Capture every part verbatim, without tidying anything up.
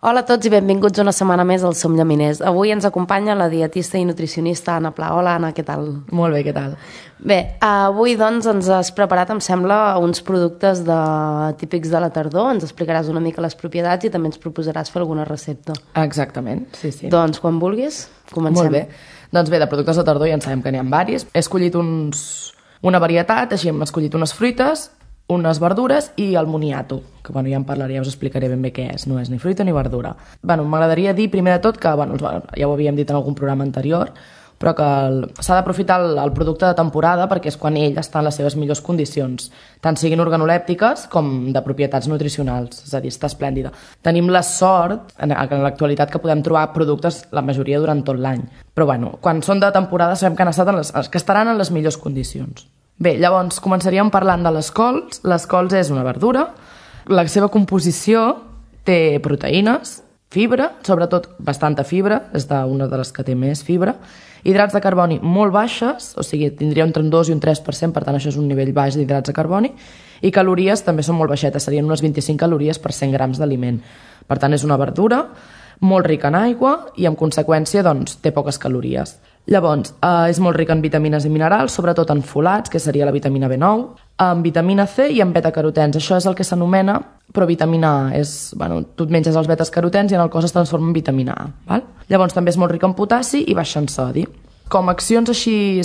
Hola a tots i benvinguts una setmana més al Som Llaminers. Avui ens acompanya la dietista i nutricionista Anna Pla. Hola, Anna, què tal? Molt bé, què tal? Bé, avui doncs ens has preparat, em sembla, uns productes de... típics de la tardor. Ens explicaràs una mica les propietats i també ens proposaràs fer alguna recepta. Exactament, sí, sí. Doncs quan vulguis, comencem. Molt bé. Doncs bé, de productes de tardor ja en sabem que n'hi ha diversos. He escollit uns... una varietat, així hem escollit unes fruites, unes verdures i el moniato, que bueno, ja en parlaré, ja us explicaré ben bé què és, no és ni fruita ni verdura. Bueno, m'agradaria dir primer de tot que, bueno, ja ho havíem dit en algun programa anterior, però que s'ha d'aprofitar el, el producte de temporada perquè és quan ell està en les seves millors condicions, tant siguin organolèptiques com de propietats nutricionals, és a dir, està esplèndida. Tenim la sort, en, en l'actualitat, que podem trobar productes, la majoria, durant tot l'any. Però bueno, quan són de temporada sabem que han estat en les, que estaran en les millors condicions. Bé, llavors començaríem parlant de les cols. Les cols és una verdura. La seva composició té proteïnes, fibra, sobretot bastanta fibra, és una de les que té més fibra, hidrats de carboni molt baixes, o sigui, tindria entre un dos i un tres per cent, per tant això és un nivell baix d'hidrats de carboni, i calories també són molt baixetes, serien unes vint-i-cinc calories per cent grams d'aliment. Per tant, és una verdura molt rica en aigua i, en conseqüència, doncs, té poques calories. Llavors, eh, és molt rica en vitamines i minerals, sobretot en folats, que seria la vitamina B nou, en vitamina C i en betacarotens. Això és el que s'anomena provitamina A. És, bueno, tu et menges els betacarotens i en el cos es transforma en vitamina A. Val? Llavors, també és molt rica en potassi i baixa en sodi. Com a accions així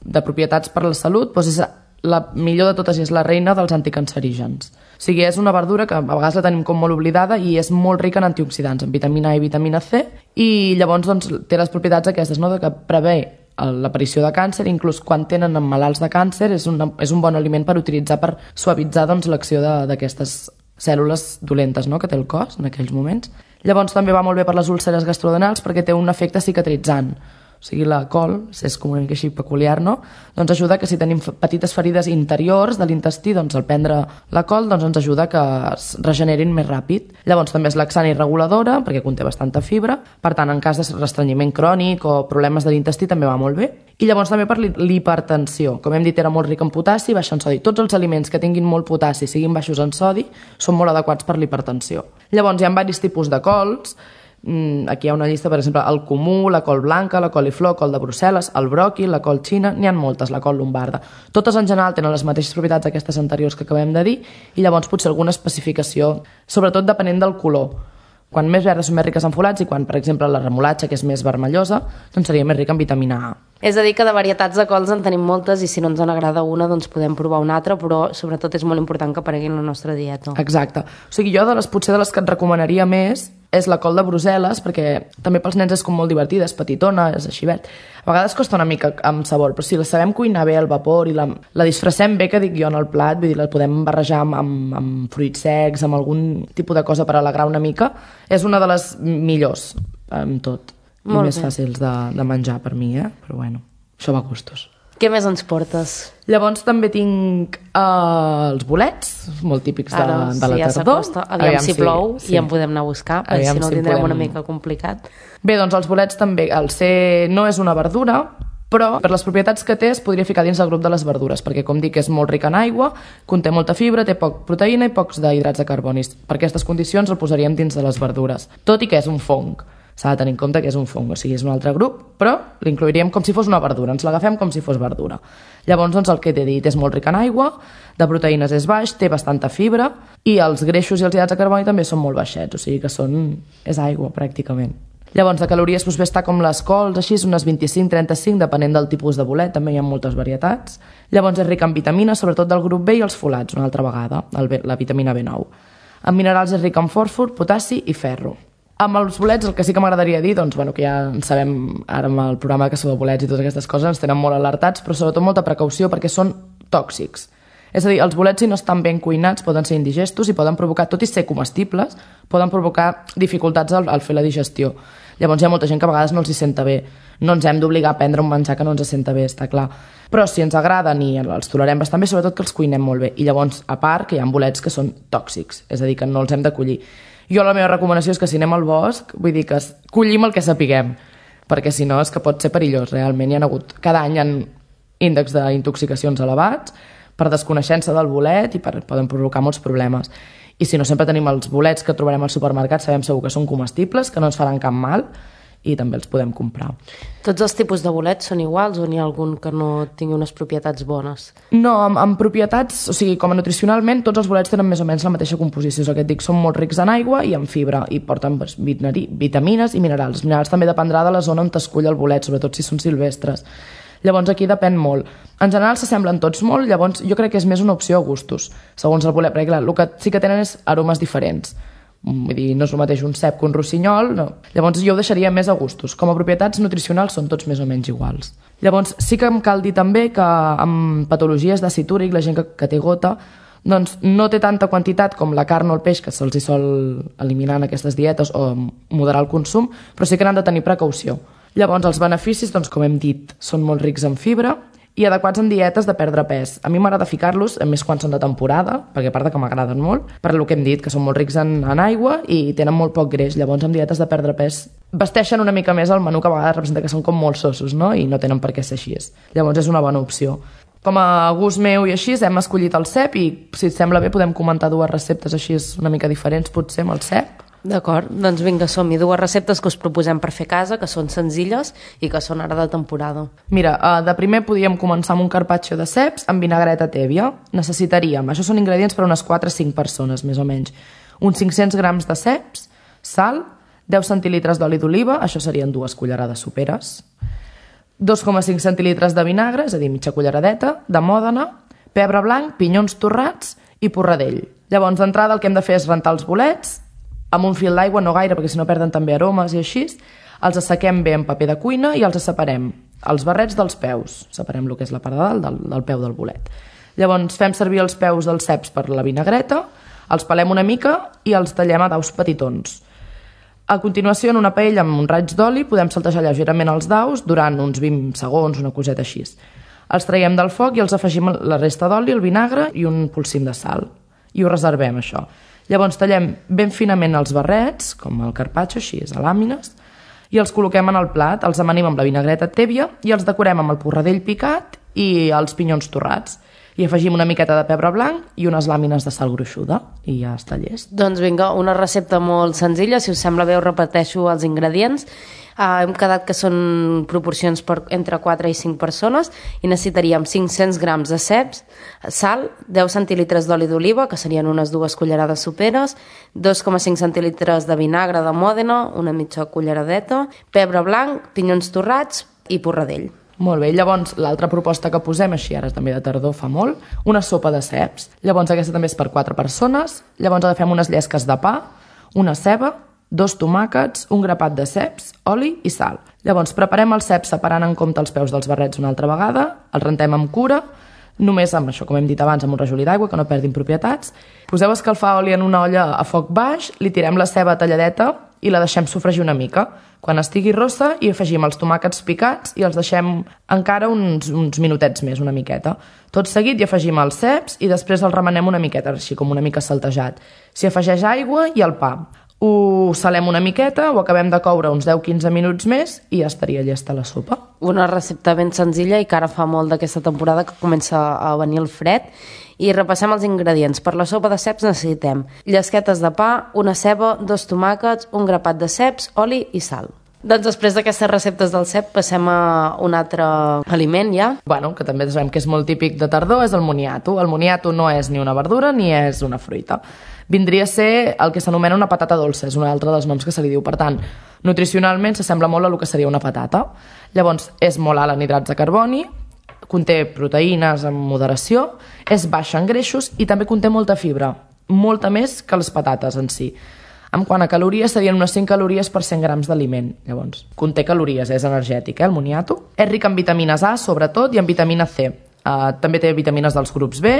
de propietats per a la salut, doncs és la millor de totes i és la reina dels anticancerígens. O sigui, és una verdura que a vegades la tenim com molt oblidada i és molt rica en antioxidants, en vitamina A i vitamina C, i llavors doncs, té les propietats aquestes, no?, de que prevé l'aparició de càncer, inclús quan tenen malalts de càncer és, una, és un bon aliment per utilitzar per suavitzar doncs, l'acció d'aquestes cèl·lules dolentes, no?, que té el cos en aquells moments. Llavors també va molt bé per les úlceres gastrodenals perquè té un efecte cicatritzant. O sigui, la col, és com una mica així peculiar, no? Doncs ajuda que si tenim petites ferides interiors de l'intestí, doncs al prendre la col doncs ens ajuda que es regenerin més ràpid. Llavors també és laxant i reguladora, perquè conté bastanta fibra, per tant, en cas de restrenyiment crònic o problemes de l'intestí també va molt bé. I llavors també per l'hipertensió. Com hem dit, era molt ric en potassi i baix en sodi. Tots els aliments que tinguin molt potassi i siguin baixos en sodi són molt adequats per l'hipertensió. Llavors hi ha diversos tipus de cols. Aquí hi ha una llista, per exemple, el comú, la col blanca, la coliflor, col de Brussel·les, el broqui, la col xina, n'hi ha moltes, la col lombarda. Totes en general tenen les mateixes propietats aquestes anteriors que acabem de dir i llavors potser alguna especificació, sobretot depenent del color. Quan més verdes són més riques en folats i quan, per exemple, la remolatxa, que és més vermellosa, doncs seria més rica en vitamina A. És a dir, que de varietats de cols en tenim moltes i si no ens en agrada una, doncs podem provar una altra, però sobretot és molt important que aparegui en la nostra dieta. Exacte. O sigui, jo de les, potser de les que et recomanaria més és la col de Brussel·les, perquè també pels nens és com molt divertida, és petitona, és així vet. A vegades costa una mica amb sabor, però si la sabem cuinar bé al vapor i la, la disfressem bé, que dic jo, en el plat, vull dir, la podem barrejar amb, amb, amb fruits secs, amb algun tipus de cosa per alegrar una mica, és una de les millors amb tot. I molt més bé. fàcils de, de menjar per mi, eh? Però bueno, això va a gustos. Què més ens portes? Llavors també tinc uh, els bolets, molt típics de, Ara, de la sí, ja tardor. s'acosta. Aviam, Aviam si plou sí. i en podem anar a buscar, perquè Aviam si no ho si tindrem podem... una mica complicat. Bé, doncs els bolets també, el C no és una verdura, però per les propietats que té es podria ficar dins del grup de les verdures, perquè com dic és molt ric en aigua, conté molta fibra, té poc proteïna i pocs d'hidrats de carbonis. Per aquestes condicions el posaríem dins de les verdures, tot i que és un fong. S'ha de tenir en compte que és un fong, o sigui, és un altre grup, però l'incluiríem com si fos una verdura, ens l'agafem com si fos verdura. Llavors, doncs, el que t'he dit és molt ric en aigua, de proteïnes és baix, té bastanta fibra, i els greixos i els hidrats de carboni també són molt baixets, o sigui que són... és aigua, pràcticament. Llavors, de calories doncs, bé està com les cols, així, unes vint-i-cinc a trenta-cinc, depenent del tipus de bolet, també hi ha moltes varietats. Llavors, és ric en vitamines, sobretot del grup B i els folats, una altra vegada, el, la vitamina B nou. En minerals és ric en fòsfor, potassi i ferro. Amb els bolets el que sí que m'agradaria dir, doncs, bueno, que ja en sabem ara amb el programa que sou de bolets i totes aquestes coses ens tenen molt alertats, però sobretot molta precaució perquè són tòxics. És a dir, els bolets, si no estan ben cuinats, poden ser indigestos i poden provocar, tot i ser comestibles, poden provocar dificultats al, al fer la digestió. Llavors hi ha molta gent que a vegades no els hi senta bé. No ens hem d'obligar a prendre un menjar que no ens senta bé, està clar. Però si ens agraden i els tolerem bastant bé, sobretot que els cuinem molt bé. I llavors, a part, que hi ha bolets que són tòxics, és a dir, que no els hem de collir. Jo la meva recomanació és que si anem al bosc, vull dir que collim el que sapiguem, perquè si no és que pot ser perillós, realment. Hi ha hagut, cada any hi ha índexs d'intoxicacions elevats per desconeixença del bolet i per, poden provocar molts problemes. I si no, sempre tenim els bolets que trobarem al supermercat, sabem segur que són comestibles, que no ens faran cap mal, i també els podem comprar. Tots els tipus de bolets són iguals o n'hi ha algun que no tingui unes propietats bones? No, amb, amb propietats, o sigui, com a nutricionalment, tots els bolets tenen més o menys la mateixa composició. És el que et dic, són molt rics en aigua i en fibra, i porten doncs, vitamines i minerals. Els minerals també dependrà de la zona on t'escull el bolet, sobretot si són silvestres. Llavors aquí depèn molt. En general s'assemblen tots molt, llavors jo crec que és més una opció a gustos, segons el bolet, perquè clar, el que sí que tenen és aromes diferents. Vull dir, no és el mateix un cep que un rossinyol, no. Llavors jo ho deixaria més a gustos. Com a propietats nutricionals són tots més o menys iguals. Llavors sí que em cal dir també que amb patologies d'àcid úric, la gent que, que té gota, doncs no té tanta quantitat com la carn o el peix, que se'ls hi sol eliminar en aquestes dietes o moderar el consum, però sí que n'han de tenir precaució. Llavors els beneficis, doncs, com hem dit, són molt rics en fibra i adequats en dietes de perdre pes. A mi m'agrada ficar-los, a més quan són de temporada, perquè a part que m'agraden molt, per el que hem dit, que són molt rics en, en aigua i tenen molt poc greix. Llavors, amb dietes de perdre pes, vesteixen una mica més el menú, que a vegades representa que són com molt sossos, no? I no tenen per què ser així. Llavors, és una bona opció. Com a gust meu i així, hem escollit el cep i, si et sembla bé, podem comentar dues receptes així una mica diferents, potser, amb el cep. D'acord, doncs vinga, som-hi. Dues receptes que us proposem per fer a casa, que són senzilles i que són ara de temporada. Mira, de primer podríem començar amb un carpaccio de ceps amb vinagreta tèbia. Necessitaríem, això són ingredients per a unes quatre a cinc persones, més o menys. Uns cinc-cents grams de ceps, sal, deu centilitres d'oli d'oliva, això serien dues cullerades soperes, dos coma cinc centilitres de vinagre, és a dir, mitja culleradeta, de mòdena, pebre blanc, pinyons torrats i porradell. Llavors, d'entrada, el que hem de fer és rentar els bolets, amb un fil d'aigua, no gaire, perquè si no perden també aromes i així, els assequem bé en paper de cuina i els separem, els barrets dels peus, separem el que és la part de dalt del, del peu del bolet. Llavors fem servir els peus dels ceps per la vinagreta, els pelem una mica i els tallem a daus petitons. A continuació, en una paella amb un raig d'oli, podem saltejar lleugerament els daus durant uns vint segons, una coseta així. Els traiem del foc i els afegim la resta d'oli, el vinagre i un polsim de sal. I ho reservem, això. Llavors tallem ben finament els barrets, com el carpaccio, així, a làmines, i els col·loquem en el plat, els amanim amb la vinagreta tèbia i els decorem amb el porradell picat i els pinyons torrats. I afegim una miqueta de pebre blanc i unes làmines de sal gruixuda i ja està llest. Doncs vinga, una recepta molt senzilla, si us sembla bé us repeteixo els ingredients. Uh, hem quedat que són proporcions per entre quatre i cinc persones i necessitaríem cinc-cents grams de ceps, sal, deu centilitres d'oli d'oliva, que serien unes dues cullerades soperes, dos coma cinc centilitres de vinagre de mòdena, una mitja culleradeta, pebre blanc, pinyons torrats i porradell. Molt bé, llavors l'altra proposta que posem, així ara també de tardor fa molt, una sopa de ceps. Llavors aquesta també és per quatre persones, llavors agafem unes llesques de pa, una ceba, dos tomàquets, un grapat de ceps, oli i sal. Llavors preparem els ceps separant en compte els peus dels barrets una altra vegada, els rentem amb cura, només amb això, com hem dit abans, amb un rajolí d'aigua, que no perdin propietats. Poseu a escalfar oli en una olla a foc baix, li tirem la ceba talladeta i la deixem sofregir una mica. Quan estigui rossa hi afegim els tomàquets picats i els deixem encara uns, uns minutets més, una miqueta. Tot seguit hi afegim els ceps i després els remenem una miqueta, així com una mica saltejat. S'hi afegeix aigua i el pa. Ho salem una miqueta, ho acabem de coure uns deu a quinze minuts més i ja estaria llesta la sopa. Una recepta ben senzilla i que ara fa molt d'aquesta temporada que comença a venir el fred. I repassem els ingredients. Per la sopa de ceps necessitem llesquetes de pa, una ceba, dos tomàquets, un grapat de ceps, oli i sal. Doncs després d'aquestes receptes del cep passem a un altre aliment ja. Bueno, que també sabem que és molt típic de tardor, és el moniato. El moniato no és ni una verdura ni és una fruita. Vindria a ser el que s'anomena una patata dolça, és un altre dels noms que se li diu. Per tant, nutricionalment s'assembla molt a el que seria una patata. Llavors, és molt alt en hidrats de carboni, conté proteïnes en moderació, és baixa en greixos i també conté molta fibra, molta més que les patates en si. En quant a calories, serien unes cinc calories per cent grams d'aliment. Llavors, conté calories, és energètic, eh, el moniato. És ric en vitamines A, sobretot, i en vitamina C. Uh, també té vitamines dels grups B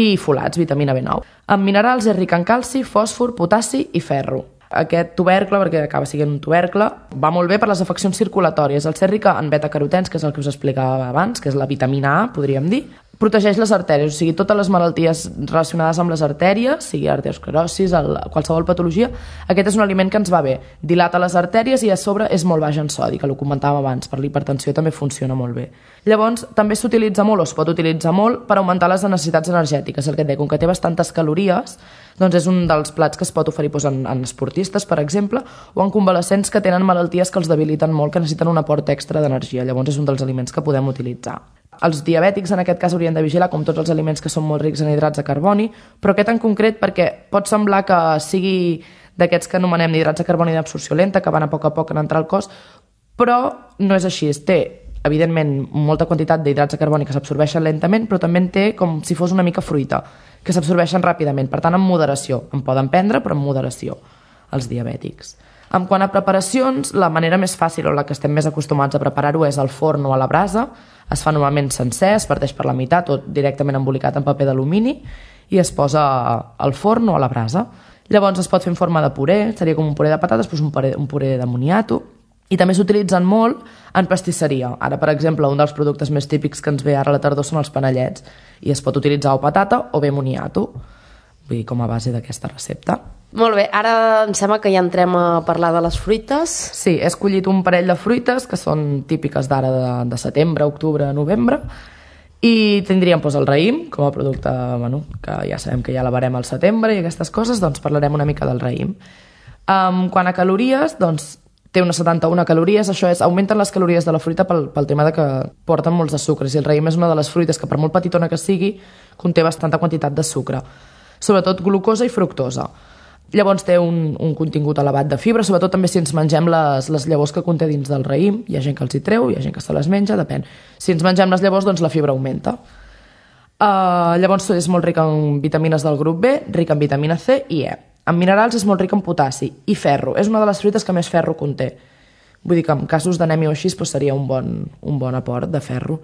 i folats, vitamina B nou. En minerals és ric en calci, fòsfor, potassi i ferro. Aquest tubercle, perquè acaba sent un tubercle, va molt bé per les afeccions circulatòries. El ser rica en beta-carotens, que és el que us explicava abans, que és la vitamina A, podríem dir, protegeix les artèries, o sigui, totes les malalties relacionades amb les artèries, sigui arteriosclerosis, el, qualsevol patologia, aquest és un aliment que ens va bé. Dilata les artèries i a sobre és molt baix en sodi, que ho comentàvem abans, per l'hipertensió també funciona molt bé. Llavors, també s'utilitza molt o es pot utilitzar molt per augmentar les necessitats energètiques, el que et deia, com que té bastantes calories, doncs és un dels plats que es pot oferir doncs, en, en esportistes, per exemple, o en convalescents que tenen malalties que els debiliten molt, que necessiten un aport extra d'energia. Llavors és un dels aliments que podem utilitzar. Els diabètics en aquest cas haurien de vigilar com tots els aliments que són molt rics en hidrats de carboni, però aquest en concret perquè pot semblar que sigui d'aquests que anomenem hidrats de carboni d'absorció lenta, que van a poc a poc en entrar al cos, però no és així. Té, evidentment, molta quantitat d'hidrats de carboni que s'absorbeixen lentament, però també en té com si fos una mica fruita, que s'absorbeixen ràpidament, per tant, en moderació. En poden prendre, però en moderació, els diabètics. En quant a preparacions, la manera més fàcil o la que estem més acostumats a preparar-ho és al forn o a la brasa. Es fa normalment sencer, es parteix per la meitat o directament embolicat en paper d'alumini i es posa al forn o a la brasa. Llavors es pot fer en forma de puré, seria com un puré de patates, doncs un puré, un puré de moniato. I també s'utilitzen molt en pastisseria. Ara, per exemple, un dels productes més típics que ens ve ara a la tardor són els panellets i es pot utilitzar o patata o bé moniato, vull dir, com a base d'aquesta recepta. Molt bé, ara em sembla que ja entrem a parlar de les fruites. Sí, he escollit un parell de fruites que són típiques d'ara de, de setembre, octubre, novembre, i tindríem doncs, el raïm com a producte, bueno, que ja sabem que ja l'avarem al setembre i aquestes coses, doncs parlarem una mica del raïm. Um, quant a calories, doncs té unes setanta-una calories, això és, augmenten les calories de la fruita pel, pel tema de que porten molts de sucres, i el raïm és una de les fruites que per molt petitona que sigui conté bastanta quantitat de sucre, sobretot glucosa i fructosa. Llavors té un, un contingut elevat de fibra, sobretot també si ens mengem les, les llavors que conté dins del raïm. Hi ha gent que els hi treu, hi ha gent que se les menja, depèn. Si ens mengem les llavors, doncs la fibra augmenta. Uh, llavors és molt ric en vitamines del grup B, ric en vitamina C i E. En minerals és molt ric en potassi i ferro. És una de les fruites que més ferro conté. Vull dir que en casos d'anèmia o així doncs seria un bon, un bon aport de ferro.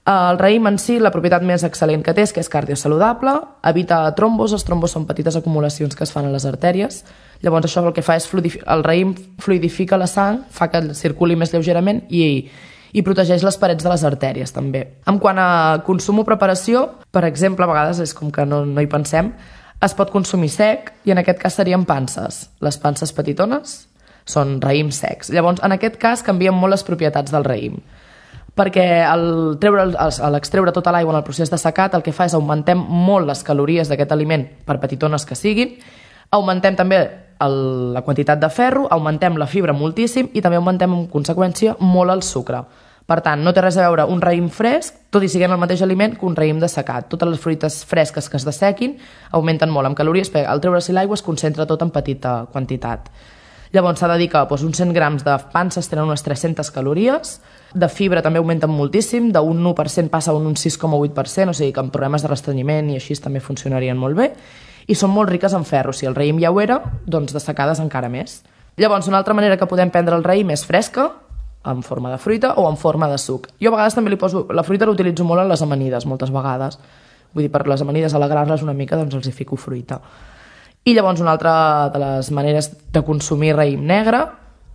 El raïm en si, la propietat més excel·lent que té és que és cardiosaludable, evita trombos, els trombos són petites acumulacions que es fan a les artèries, llavors això el que fa és, el raïm fluidifica la sang, fa que circuli més lleugerament i, i protegeix les parets de les artèries també. En quant a consum o preparació, per exemple, a vegades és com que no, no hi pensem, es pot consumir sec i en aquest cas serien panses. Les panses petitones són raïms secs. Llavors, en aquest cas canvien molt les propietats del raïm, perquè al treure, a l'extreure tota l'aigua en el procés de secat el que fa és augmentem molt les calories d'aquest aliment per petitones que siguin, augmentem també el, la quantitat de ferro, augmentem la fibra moltíssim i també augmentem en conseqüència molt el sucre. Per tant, no té res a veure un raïm fresc, tot i siguent el mateix aliment, que un raïm dessecat. Totes les fruites fresques que es dessequin augmenten molt en calories, perquè al treure-s'hi l'aigua es concentra tot en petita quantitat. Llavors s'ha de dir que doncs, uns cent grams de panses tenen unes tres-centes calories, de fibra també augmenten moltíssim, d'un u per cent passa a un sis coma vuit per cent, o sigui que amb problemes de restrenyiment i així també funcionarien molt bé, i són molt riques en ferro. Si el raïm ja ho era, doncs dessecades encara més. Llavors, una altra manera que podem prendre el raïm és fresca, en forma de fruita o en forma de suc. Jo a vegades també li poso, la fruita l'utilitzo molt en les amanides, moltes vegades. Vull dir, per les amanides alegrar-les una mica, doncs els hi fico fruita. I llavors una altra de les maneres de consumir raïm negre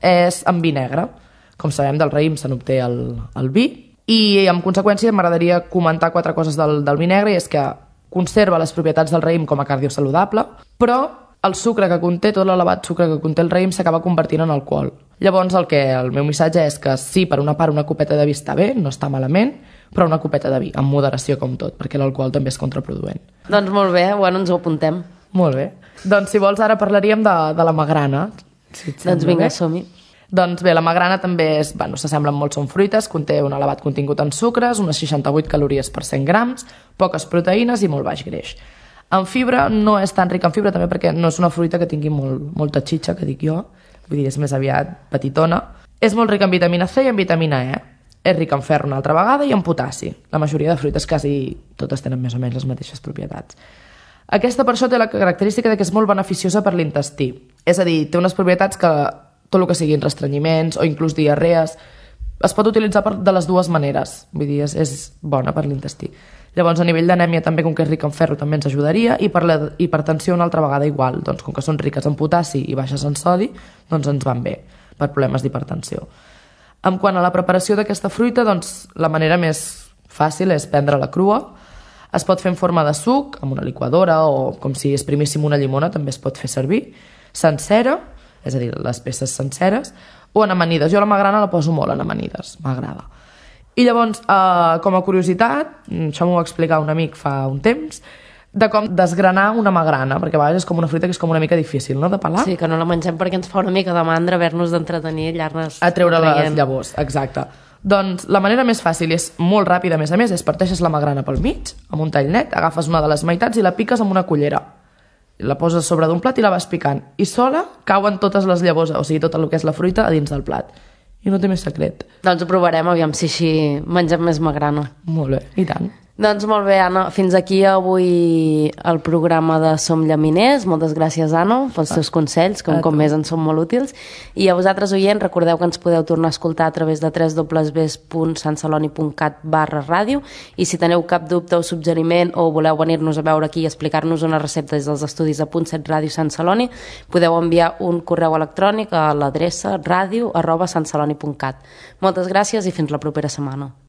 és amb vi negre. Com sabem, del raïm se n'obté el, el vi. I en conseqüència m'agradaria comentar quatre coses del, del vi negre, i és que conserva les propietats del raïm com a cardiosaludable, però el sucre que conté, tot l'elevat sucre que conté el raïm s'acaba convertint en alcohol. Llavors el, que, el meu missatge és que sí, per una part una copeta de vi està bé, no està malament, però una copeta de vi, amb moderació com tot, perquè l'alcohol també és contraproduent. Doncs molt bé, bueno, ens ho apuntem. Molt bé. Doncs si vols ara parlaríem de, de la magrana. Si doncs vinga, som-hi. Doncs bé, la magrana també és, bueno, s'assemblen molt, són fruites, conté un elevat contingut en sucres, unes seixanta-vuit calories per cent grams, poques proteïnes i molt baix greix. En fibra no és tan rica en fibra també perquè no és una fruita que tingui molt, molta xitxa, que dic jo, vull dir, és més aviat petitona. És molt rica en vitamina C i en vitamina E. És rica en ferro una altra vegada i en potassi. La majoria de fruites quasi totes tenen més o menys les mateixes propietats. Aquesta per això té la característica de que és molt beneficiosa per l'intestí. És a dir, té unes propietats que tot el que siguin restrenyiments o inclús diarrees es pot utilitzar per, de les dues maneres. Vull dir, és, és bona per l'intestí. Llavors, a nivell d'anèmia també, com que és rica en ferro, també ens ajudaria, i per la hipertensió una altra vegada igual. Doncs com que són riques en potassi i baixes en sodi, doncs ens van bé per problemes d'hipertensió. En quant a la preparació d'aquesta fruita, doncs la manera més fàcil és prendre-la crua. Es pot fer en forma de suc, amb una liquadora, o com si exprimíssim una llimona, també es pot fer servir, sencera, és a dir, les peces senceres, o en amanides. Jo la magrana la poso molt en amanides, m'agrada. I llavors, eh, com a curiositat, això m'ho va explicar un amic fa un temps, de com desgranar una magrana, perquè a vegades és com una fruita que és com una mica difícil, no?, de pelar. Sí, que no la mengem perquè ens fa una mica de mandra haver-nos d'entretenir i allà-nos... A treure les llavors, exacte. Doncs la manera més fàcil i és molt ràpida, a més a més, és parteixes la magrana pel mig, amb un tall net, agafes una de les meitats i la piques amb una cullera. La poses sobre d'un plat i la vas picant. I sola cauen totes les llavors, o sigui, tot el que és la fruita, a dins del plat. I no té més secret. Doncs ho provarem, aviam si així mengem més magrana. Molt bé, i tant. Doncs molt bé, Anna, fins aquí avui el programa de Som Llaminers. Moltes gràcies, Anna, pels teus consells, que un cop més ens són molt útils. I a vosaltres, oients, recordeu que ens podeu tornar a escoltar a través de w w w punt sant celoni punt cat barra ràdio, i si teniu cap dubte o suggeriment o voleu venir-nos a veure aquí i explicar-nos una recepta des dels estudis de Punt set Ràdio Sant Celoni, podeu enviar un correu electrònic a l'adreça ràdio arroba sant celoni punt cat. Moltes gràcies i fins la propera setmana.